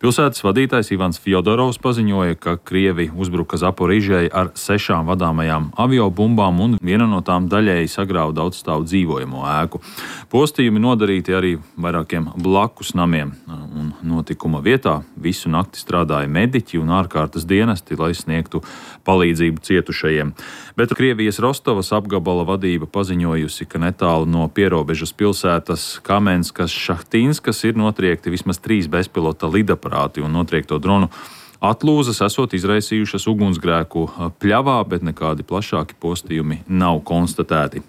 Pilsētas vadītājs Ivans Fjodorovs paziņoja, ka Krievi uzbruka Zaporižai ar 6 vadāmajām aviobumbām un viena no tām daļēji sagrāva daudzstāvu dzīvojamo ēku. Postījumi nodarīti arī vairākiem blakus namiem, un notikuma vietā visu nakti strādāja mediķi un ārkārtas dienesti, lai sniegtu palīdzību cietušajiem. Bet Krievijas Rostovas apgabala vadība paziņojusi, ka netālu no pierobežas pilsētas Kamenskas Šahtīnskas ir notriekti vismaz 3 bezpilota lidaparāti un notriekto dronu atlūzas esot izraisījušas ugunsgrēku pļavā, bet nekādi plašāki postījumi nav konstatēti.